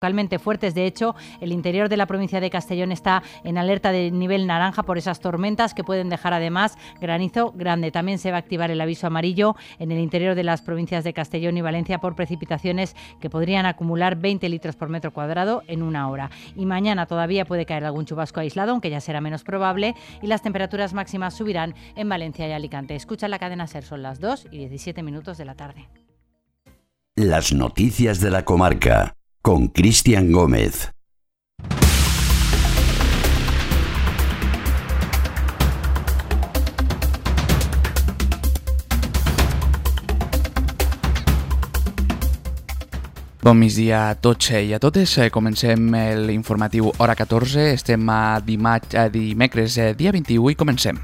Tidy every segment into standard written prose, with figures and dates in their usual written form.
localmente fuertes. De hecho, el interior de la provincia de Castellón está en alerta de nivel naranja por esas tormentas que pueden dejar además granizo grande. También se va a activar el aviso amarillo en el interior de las provincias de Castellón y Valencia por precipitaciones que podrían acumular 20 litros por metro cuadrado en una hora. Y mañana todavía puede caer algún chubasco aislado, aunque ya será menos probable, y las temperaturas máximas subirán en Valencia y Alicante. Escucha la cadena SER, son las 2:17 de la tarde. Las noticias de la comarca con Cristian Gómez. Bon migdia a tots i a totes. Comencem l'informatiu hora 14. Estem a dimecres, dia 21, i comencem.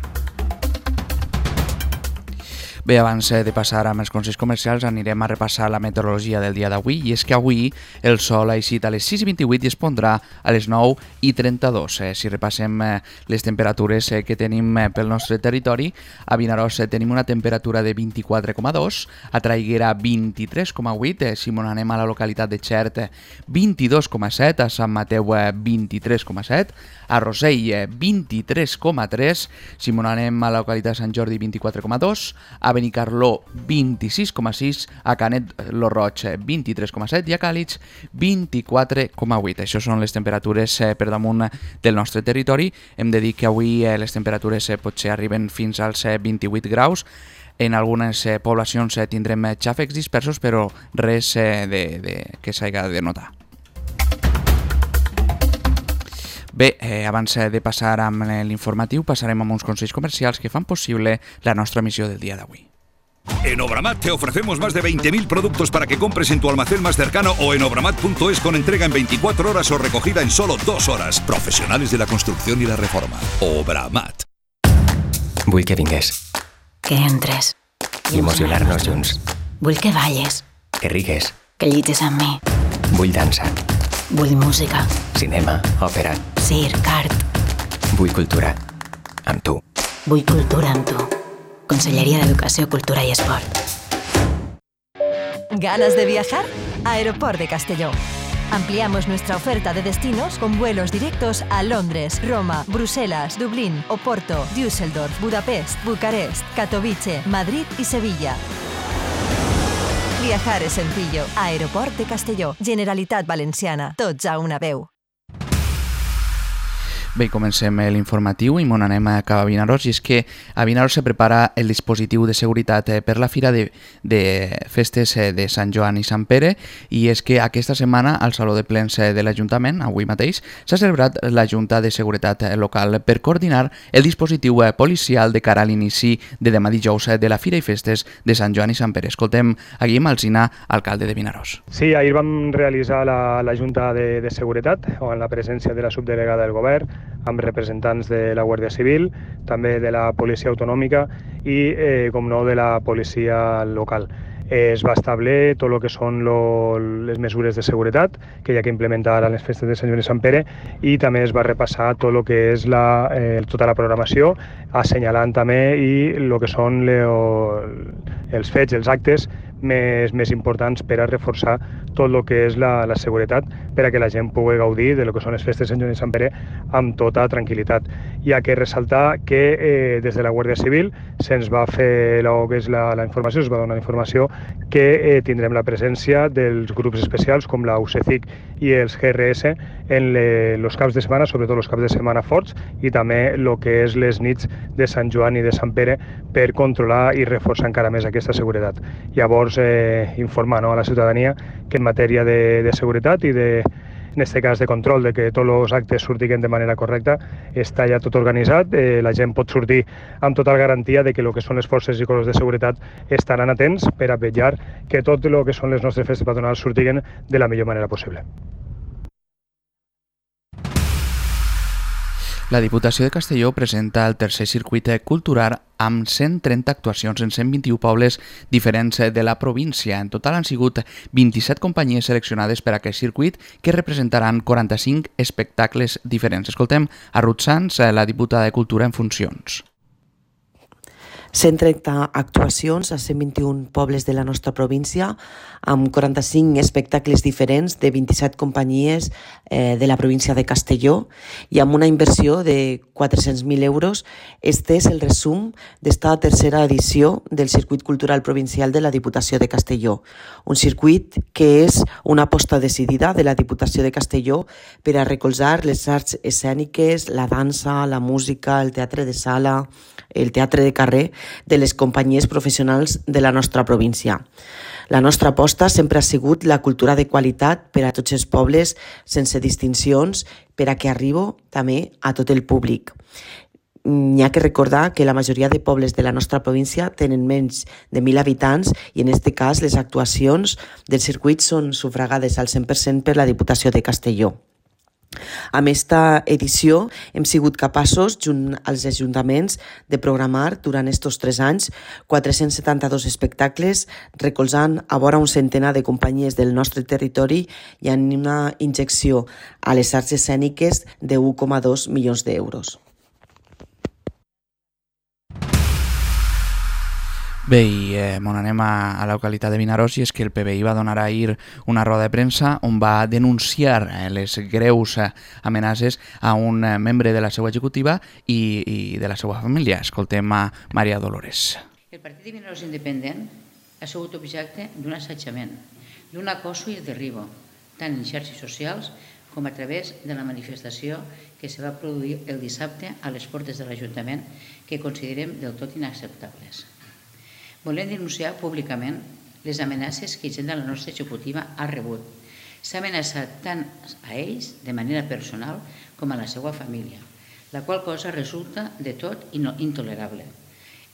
Bé, abans de passar amb els consells comercials anirem a repassar la meteorologia del dia d'avui, i és que avui el sol ha eixit a les 6:28 i es pondrà a les 9:32. Si repassem les temperatures que tenim pel nostre territori, a Vinaròs tenim una temperatura de 24,2, a Traiguera 23,8, si m'on anem a la localitat de Xert 22,7, a Sant Mateu 23,7, a Rossell 23,3, si m'on anem a la localitat de Sant Jordi 24,2, a Benicarló 26,6, a Canet lo Roig 23,7 i a Càlig 24,8. Això són les temperatures per damunt del nostre territori. Hem de dir que avui les temperatures potser arriben fins als 28 graus. En algunes poblacions tindrem xàfecs dispersos, però res que s'hagi de notar. Bé, abans de passar amb l'informatiu, passarem amb uns consells comercials que fan possible la nostra missió del dia d'avui. En Obramat te ofrecemos más de 20.000 productos para que compres en tu almacén más cercano o en obramat.es con entrega en 24 horas o recogida en solo 2 horas. Profesionales de la construcción y la reforma. Obramat. Vull que vingués. Que entres. I emocionar-nos junts. Vull que balles. Que rigues. Que llitges amb mi. Vull dansa. Vull música. Cinema, òpera. Circ, art. Vull cultura. Amb tu. Vull cultura amb tu. Conselleria d'Educació, Cultura y Esport. ¿Ganas de viajar? Aeroport de Castelló. Ampliamos nuestra oferta de destinos con vuelos directos a Londres, Roma, Bruselas, Dublín, Oporto, Düsseldorf, Budapest, Bucarest, Katowice, Madrid y Sevilla. Viajar es sencillo. Aeroport de Castelló. Generalitat Valenciana. Tots a una veu. Bé, comencem l'informatiu i m'on anem a cap a Vinaròs, i és que a Vinaròs se prepara el dispositiu de seguretat per la Fira de Festes de Sant Joan i Sant Pere, i és que aquesta setmana al Saló de Plens de l'Ajuntament, avui mateix, s'ha celebrat la Junta de Seguretat Local per coordinar el dispositiu policial de cara a l'inici de demà dijous de la Fira i Festes de Sant Joan i Sant Pere. Escoltem a Guillem Alsina, alcalde de Vinaròs. Sí, ahir vam realitzar la Junta de Seguretat, en la presència de la subdelegada del Govern, amb representants de la Guàrdia Civil, també de la Policia Autonòmica i, com no, de la Policia Local. Es va establir tot el que són les mesures de seguretat que hi ha que implementar a les festes de Sant Joan i Sant Pere, i també es va repassar tot el que és tota la programació, assenyalant també el que són els fets, els actes més importants per a reforçar tot el que és la seguretat, per a que la gent pugui gaudir de lo que són les festes de Sant Joan i Sant Pere amb tota tranquil·litat. Hi ha que ressaltar que des de la Guàrdia Civil se'ns va fer la informació, es va donar la informació que tindrem la presència dels grups especials com la UCECIC i els GRS en els caps de setmana, sobretot els caps de setmana forts, i també el que és les nits de Sant Joan i de Sant Pere, per controlar i reforçar encara més aquesta seguretat. Llavors, informar a la ciutadania que en matèria de seguretat i en aquest cas de control de que tots els actes surtin de manera correcta, està ja tot organitzat. La gent pot sortir amb total garantia de que el que són les forces i cossos de seguretat estaran atents per a vetllar que tot el que són les nostres festes patronals surtin de la millor manera possible. La Diputació de Castelló presenta el tercer circuit cultural amb 130 actuacions en 121 pobles diferents de la província. En total han sigut 27 companyies seleccionades per a aquest circuit, que representaran 45 espectacles diferents. Escoltem a Ruth Sanz, la diputada de Cultura en funcions. 130 actuacions a 121 pobles de la nostra província, amb 45 espectacles diferents de 27 companyies de la província de Castelló i amb una inversió de 400.000 euros. Este és el resum d'esta tercera edició del Circuit Cultural Provincial de la Diputació de Castelló. Un circuit que és una aposta decidida de la Diputació de Castelló per a recolzar les arts escèniques, la dansa, la música, el teatre de sala, el teatre de carrer de les companyies professionals de la nostra província. La nostra aposta sempre ha sigut la cultura de qualitat per a tots els pobles, sense distincions, per a que arribi també a tot el públic. N'hi ha que recordar que la majoria de pobles de la nostra província tenen menys de 1.000 habitants i en aquest cas les actuacions del circuit són sufragades al 100% per la Diputació de Castelló. Amb esta edició hem sigut capaços, junt als ajuntaments, de programar durant estos 3 anys 472 espectacles, recolzant a vora un centenar de companyies del nostre territori i amb una injecció a les arts escèniques de 1,2 milions d'euros. Bé, i anem a la localitat de Vinaròs, i és que el PBI va donar ahir una roda de premsa on va denunciar les greus amenaces a un membre de la seva executiva i de la seva família. Escoltem a Maria Dolores. El Partit de Vinaròs Independent ha sigut objecte d'un assetjament, d'un acoso i derribo, tant en xarxes socials com a través de la manifestació que se va produir el dissabte a les portes de l'Ajuntament, que considerem del tot inacceptables. Volem denunciar públicament les amenaces que gent de la nostra executiva ha rebut. S'ha amenaçat tant a ells de manera personal com a la seva família, la qual cosa resulta de tot intolerable.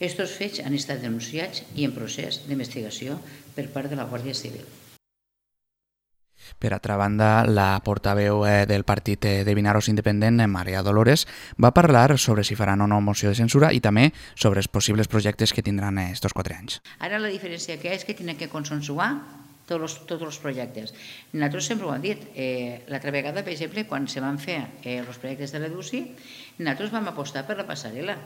Estos fets han estat denunciats i en procés d'investigació per part de la Guàrdia Civil. Per altra banda, la portaveu del partit de Vinaròs Independent, Maria Dolores, va parlar sobre si faran o no moció de censura i també sobre els possibles projectes que tindran estos 4 anys. Ara la diferència que és que tenen que consensuar tots els projectes. Nosaltres sempre ho hem dit. L'altra vegada, per exemple, quan se van fer els projectes de l'EDUCI, nosaltres vam apostar per la passarel·la.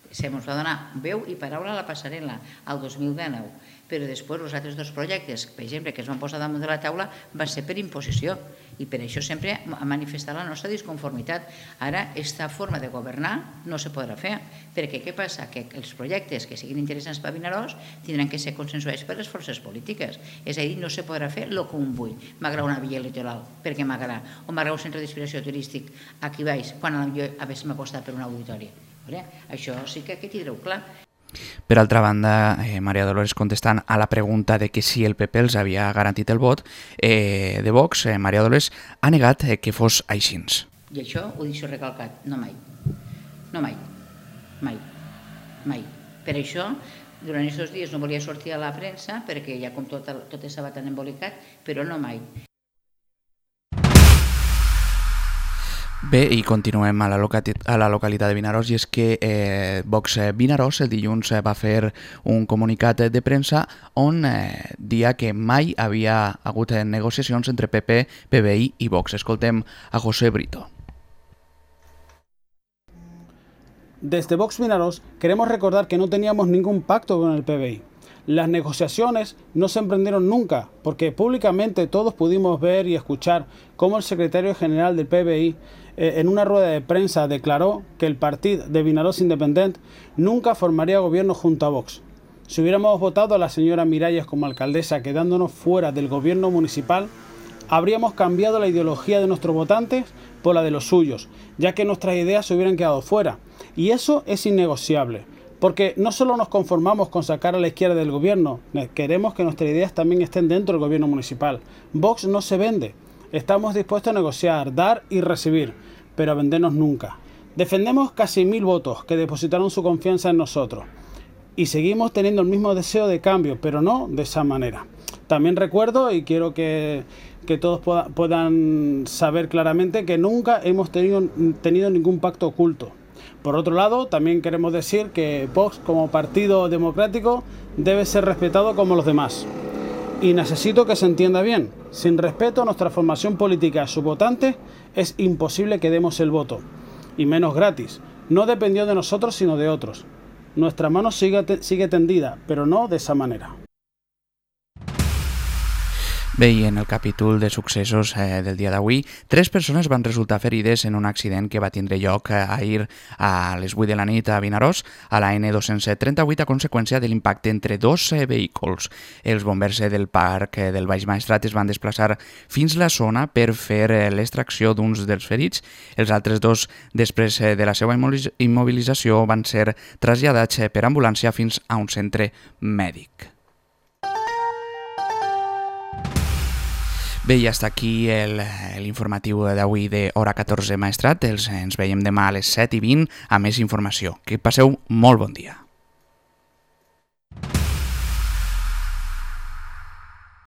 Se ens va donar veu i paraula a la passarel·la al 2019, però després els altres 2 projectes, per exemple, que es van posar damunt de la taula, van ser per imposició i per això sempre ha manifestat la nostra disconformitat. Ara, aquesta forma de governar no se podrà fer, perquè què passa? Que els projectes que siguin interessants per a Vinaròs tindran que ser consensuats per les forces polítiques, és a dir, no se podrà fer el que un vull. M'agrada una via litoral, perquè m'agrada, o m'agrada un centre d'inspiració turístic aquí baix, quan jo haguéssim apostat per un auditori. Això sí que tindreu clar. Per altra banda, Maria Dolores, contestant a la pregunta de que si el PP els havia garantit el vot de Vox, Maria Dolores ha negat que fos així. I això ho deixo recalcat, no mai. No mai. Mai. Mai. Per això, durant aquests dies no volia sortir a la premsa perquè ja com tot estava tan embolicat, però no mai. Bé, i continuem a la localitat de Vinaròs, i és que Vox Vinaròs el dilluns va fer un comunicat de premsa on dia que mai havia hagut negociacions entre PP, PBI i Vox. Escoltem a José Brito. Desde Vox Vinaròs queremos recordar que no teníamos ningún pacto con el PBI. Las negociaciones no se emprendieron nunca, porque públicamente todos pudimos ver y escuchar cómo el secretario general del PBI en una rueda de prensa declaró que el Partido de Vinaròs Independent nunca formaría gobierno junto a Vox. Si hubiéramos votado a la señora Miralles como alcaldesa quedándonos fuera del gobierno municipal, habríamos cambiado la ideología de nuestros votantes por la de los suyos, ya que nuestras ideas se hubieran quedado fuera. Y eso es innegociable. Porque no solo nos conformamos con sacar a la izquierda del gobierno, queremos que nuestras ideas también estén dentro del gobierno municipal. Vox no se vende. Estamos dispuestos a negociar, dar y recibir, pero a vendernos nunca. Defendemos casi 1000 votos que depositaron su confianza en nosotros. Y seguimos teniendo el mismo deseo de cambio, pero no de esa manera. También recuerdo, y quiero que todos puedan saber claramente, que nunca hemos tenido ningún pacto oculto. Por otro lado, también queremos decir que Vox, como partido democrático, debe ser respetado como los demás. Y necesito que se entienda bien, sin respeto a nuestra formación política y a sus votantes, es imposible que demos el voto, y menos gratis. No dependió de nosotros, sino de otros. Nuestra mano sigue tendida, pero no de esa manera. Bé, i en el capítol de successos del dia d'avui, 3 persones van resultar ferides en un accident que va tindre lloc ahir a les 8 de la nit a Vinaròs, a la N238, a conseqüència de l'impacte entre 2 vehicles. Els bombers del parc del Baix Maestrat es van desplaçar fins a la zona per fer l'extracció d'uns dels ferits. Els altres 2, després de la seva immobilització, van ser traslladats per ambulància fins a un centre mèdic. Bé, i hasta aquí l'informatiu d'avui de Hora 14 Maestrat. Ens veiem demà a les 7:20 amb més informació. Que passeu molt bon dia.